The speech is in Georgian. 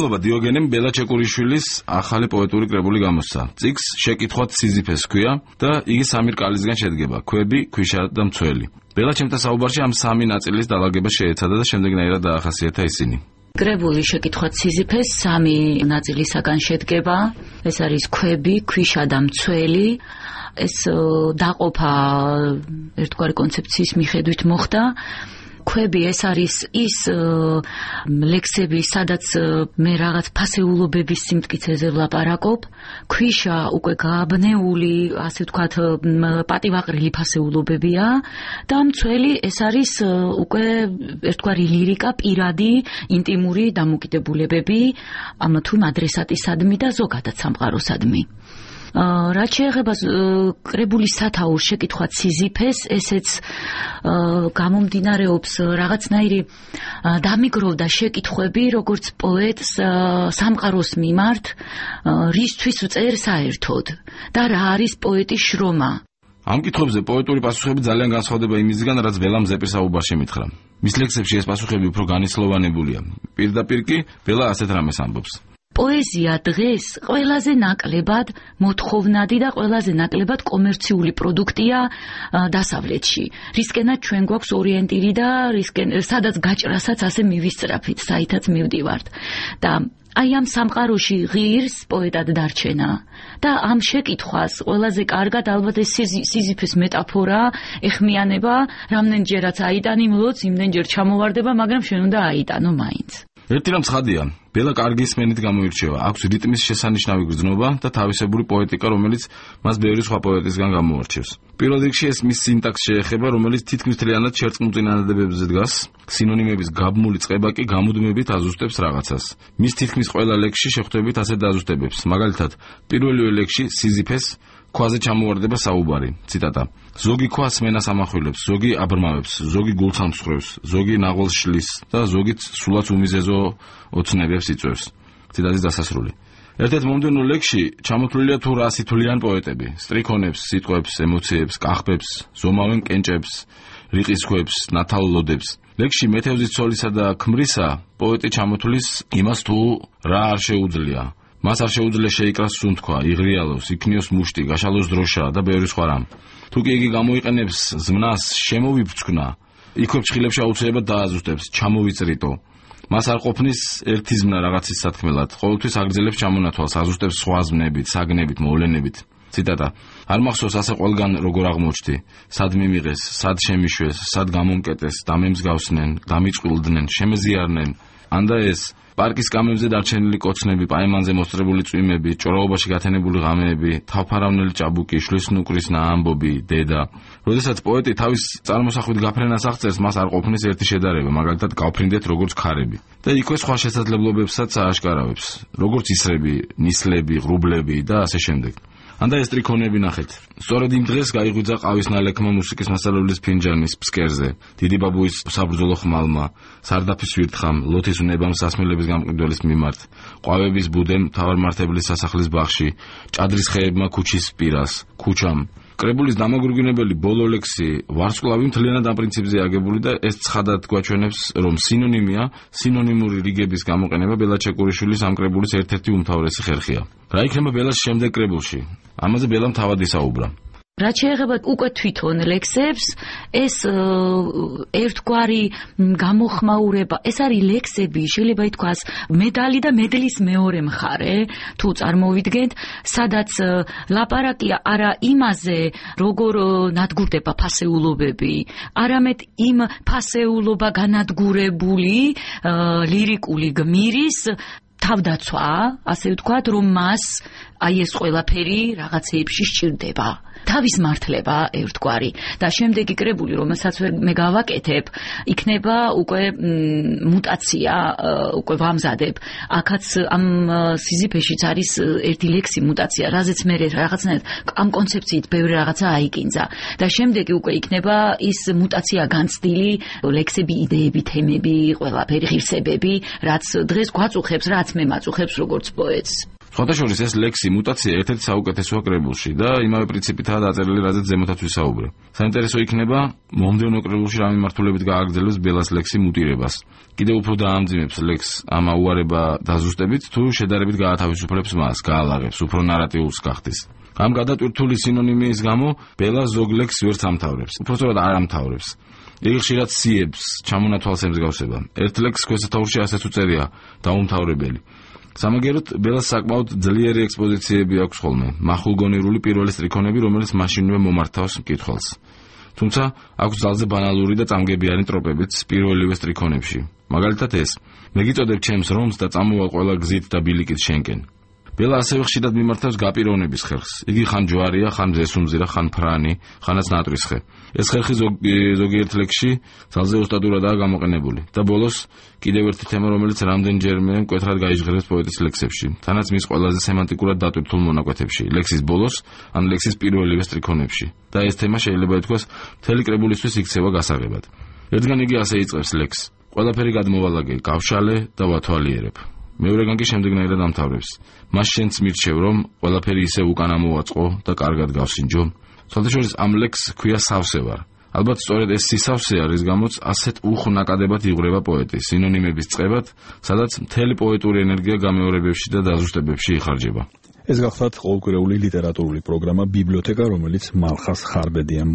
დიოგენემ ბელა ჩეკურიშვილის ახალი პოეტური კრებული გამოსცა. წიგნს შეკითხვათ სიზიფეს ჰქვია და იგი 3 რკალისგან შედგება: ქვები, ქვიშა და მცველი. ბელა ჩემთა საუბარში ამ 3 ნაწილის დალაგება შეეცადა და შემდეგნაირად დაახასიათა ისინი. კრებული შეკითხვათ სიზიფეს 3 ნაწილისაგან შედგება. ეს არის ქვები, ქვიშა და მცველი. ეს დაყოფა ერთგვარი კონცეფციის მიხედვით მოხდა. ქვები ეს არის ის ლექსები, სადაც მე რაღაც ფასეულობების სიმტკიცეზე ვლაპარაკობ. ქვიშა უკვე გააბნეული, ასე ვთქვათ, პატივაყრილი ფასეულობებია და მცველი ეს არის უკვე ერთგვარი ლირიკა, პირადი, ინტიმური დამოკიდებულებები, ამა თუ იმ ადრესატისადმი და ზოგადად სამყაროსადმი. რაც შეეხება კრებულის სათაურს შეკითხვათ სიზიფეს, ესეც გამომდინარეობს რაღაცნაირი დამიგროვდა შეკითხვები, როგორც პოეტს სამყაროს მიმართ, რისთვის ვწერ საერთოდ და რა არის პოეტის შრომა. ამ კითხვებზე პოეტური პასუხები ძალიან განსხვავდება იმისგან, რაც ბელამ ზეპირ საუბარში მითხრა. მის ლექსებში ეს პასუხები უფრო განიცლოვანებულია. პირდაპირ კი ბელა ასეთ რამეს ამბობს. პოეზია დღეს ყველაზე ნაკლებად მოთხოვნადი და ყველაზე ნაკლებად კომერციული პროდუქტია დასავლეთში. რისკენაც ჩვენ გვაქვს ორიენტირი და სადაც გაჭრასაც ასე მივისწრაფით, საითაც მივდივართ. და აი ამ სამყაროში ღირს პოეტად დარჩენა და ამ შეკითხვას ყველაზე კარგად ალბათ ეს სიზიფეს მეტაფორა ეხმიანება, რამდენჯერაც აიტანი მლოც, იმდენჯერ ჩამოვარდება, მაგრამ შენ უნდა აიტანო მაინც. ერთი რამ ცხადია, ბელა კარგი სმენით გამოირჩევა, აქვს რიტმის შესანიშნავი გრძნობა და თავისებური პოეტიკა, რომელიც მას ბევრი სხვა პოეტისგან გამოარჩევს. პირველ რიგში ეს მის სინტაქსს შეეხება, რომელიც თითქმის მთლიანად შერწყმუწინანადებებზე დგას, სინონიმების გაბმული წყება კი გამუდმებით აზუსტებს რაღაცას. მის თითქმის ყველა ლექსში შეხვდებით ასეთ დაზუსტებებს. მაგალითად, პირველივე ლექსში სიზიფეს ქვაზე ჩამოვარდება საუბარი. ციტატა: ზოგი ქვა სმენას ამახვილებს, ზოგი აბრმავებს, ზოგი გულს ამსხვრევს, ზოგი ნაღველს შლის და ზოგი სულაც უმიზეზო ოცნებებს იწვევს. ციტატის დასასრული. ერთ-ერთ მომდევნო ლექსში ჩამოთვლილია თუ რა სითვლიან პოეტები: სტრიქონებს, სიტყვებს, ემოციებს, კახბებს, ზომავენ კენჭებს, რიყის ქვებს, ნათალლოდებს. ლექსში მეთევზის ცოლისა და ქმრისა პოეტი ჩამოთვლის იმას თუ რა არ შეუძლია. მას არ შეუძლია შეიკრას სუნთქვა, იღრიალოს, იქნიოს მუშტი, გაშალოს დროშა და ბევრი სხვა რამ. თუ კი იგი გამოიყენებს ზმნას შემოვიფრჩქნა, იქვე ფრჩხილებში აუცილებლად დააზუსტებს, ჩამოვიწრიტო. მას არ ყოფნის ერთი ზმნა რაღაცის სათქმელად, ყოველთვის აგრძელებს ჩამონათვალს, აზუსტებს სხვა ზმნებით, საგნებით, მოვლენებით. ციტატა: არ მახსოვს ასე ყველგან როგორ აღმოჩნდი, სად მიმიღეს, სად შემიშვეს, სად გამომკეტეს, დამემსგავსნენ, დამიწყვილდნენ, შემეზიარნენ. ანდა ეს პარკის კამებზე დარჩენილი კოცნები, პაემანზე მოსწრებული წვიმები, ჭორაობაში გათენებული ღამეები, თავფარავნელი ჭაბუკი, შლისნუკრის ამბობი, დედა. როდესაც პოეტი თავის წარმოსახვით გაფრენას აღწერს, მას არ ყოფნის ერთი შედარება, მაგალითად გავფრინდეთ როგორც ქარები. და იქვე სხვა შესაძლებლობებსაც ააშკარავებს, როგორც ისრები, ნისლები, ღრუბლები და ასე შემდეგ. ანდა ეს ტრიქონები ნახეთ. სწორედ იმ დღეს გაიღვიძა ყავის ნალექმა მუსიკის მასწავლებლის ფინჯანის ფსკერზე, დიდი ბაბუის საბრძოლო ხმალმა, სარდაფის ვირთხამ, ლოთის უნებამ სასმელების გამყიდველის მიმართ, ყვავების ბუდემ მთავარმართებლის სასახლის ბაღში, ჭადრის ხეებმა ქუჩის პირას, ქუჩამ. კრებულის დამაგრუგინებელი ბოლო ლექსი ვარსკვლავი მთლიანად ამ პრინციპზე აგებული და ეს ცხადად გვაჩვენებს, რომ სინონიმია, სინონიმური რიგების გამოყენება ბელა ჩეკურიშვილის ამ კრებულის ერთ-ერთი უმთავრესი ხერხია. რა იქნება ბელას შემდეგ კრებულში? ამაზე ბელამ თავად ისაუბრა. რაც შეეხება უკვე თვითონ ლექსებს, ეს ერთგვარი გამოხმაურება, ეს არის ლექსები, შეიძლება ითქვას, მედალი და მედლის მეორე მხარე, თუ წარმოვიდგენთ, სადაც ლაპარაკია არა იმაზე, როგორ ნადგურდება ფასეულობები, არამედ იმ ფასეულობა განადგურებული ლირიკული გმირის თავდაცვა, ასე ვთქვათ, რომ მას აი ეს ყველაფერი რაღაცეებში სჭირდება. თავის მართლება ერთგვარი და შემდეგი კრებული, რომელსაც მე გავაკეთებ, იქნება უკვე მუტაცია, უკვე ვამზადებ. აქაც ამ სიზიფეშიც არის ერთი ლექსი მუტაცია, რაზეც მე რაღაცნაირად ამ კონცეფციით ბევრი რაღაცა აიკინძა და შემდეგი უკვე იქნება ის მუტაცია განცდილი ლექსები, იდეები, თემები, ყველაფერი ღირსებები, რაც დღეს გვაწუხებს, რაც მე მაწუხებს როგორც პოეტს. სხვათა შორის ეს ლექსი მუტაცია ერთ-ერთი საუკეთესოა კრებულში და იმავე პრინციპითაა დაწერილი, რაზეც ზემოთაც ვისაუბრე. საინტერესო იქნება მომდევნო კრებულში რა მიმართულებით გააგრძელებს ბელას ლექსი მუტირებას. კიდევ უფრო დაამძიმებს ლექსს ამ აუარება დაზუსტებით, თუ შედარებით გაათავისუფლებს მას, გაალაღებს, უფრო ნარატიულს გახდის. ამ გადატვირთული სინონიმიის გამო ბელა ზოგ ლექსს ვერც ამთავრებს, უпростоრად არ ამთავრებს. იგი ხშირად სიებს, ჩამონათვალს ემსგავსება. ერთ ლექსს ქვესათაურში ასეც უწერია დაუმთავრებელი. სამაგეროდ ბელას საკმაოდ ძლიერი ექსპოზიციები აქვს ხოლმე, მახულგონირული პირველი სტრიქონები, რომელიც მაშინვე მომართავს მკითხველს. თუმცა აქვს ძალზე ბანალური და წამგებიანი ტროპებიც პირველივე სტრიქონებში. მაგალითად ეს: მე გიწოდებ ჩემს რომს და წამოვალ ყველა გზით და ბილიკით შენკენ. ბელა ასევე ხშირად მიმართავს გაპიროვნების ხერხს. იგი ხან ჯვარია, ხან ზესუმზირა, ხან ფრანი, ხანაც ნატრისხე. ეს ხერხი ზოგიერთ ლექსში ძალზე ოსტატურადაა გამოყენებული. და ბოლოს კიდევ ერთი თემა, რომელიც რამდენჯერმე მკვეთრად გაიჟღერებს პოეტის ლექსებში, თანაც მის ყველაზე სემანტიკურად დატვირთულ მონაკვეთებში, ლექსის ბოლოს, ან ლექსის პირველივე სტრიქონებში. და ეს თემა შეიძლება ითქვას, მთელი კრებულისთვის იქცევა გასაღებად. ერთგან იგი ასე იწყებს ლექსს: ყველაფერი გადმოვალაგე, გავშალე და ვათვალიერებ. მეორეგან კი შემდეგნაირად ამთავრებს: მას შენც მირჩევ, რომ ყველაფერი ისე უკან ამოვაწყო და კარგად გავსინჯო. თვალთაშორის ამ ლექსს ქვია სავსე ვარ. ალბათ სწორედ ეს სისავსეა, რის გამოც ასეთ უხნაკადებად იღვრება პოეტი, სინონიმების წყებად, სადაც მთელი პოეტური ენერგია გამეორებებში და დაზუსტებებში იხარჯება. ეს გახლავთ ყოველკვირეული ლიტერატურული პროგრამა ბიბლიოთეკა, რომელიც მალხას ხარბედიან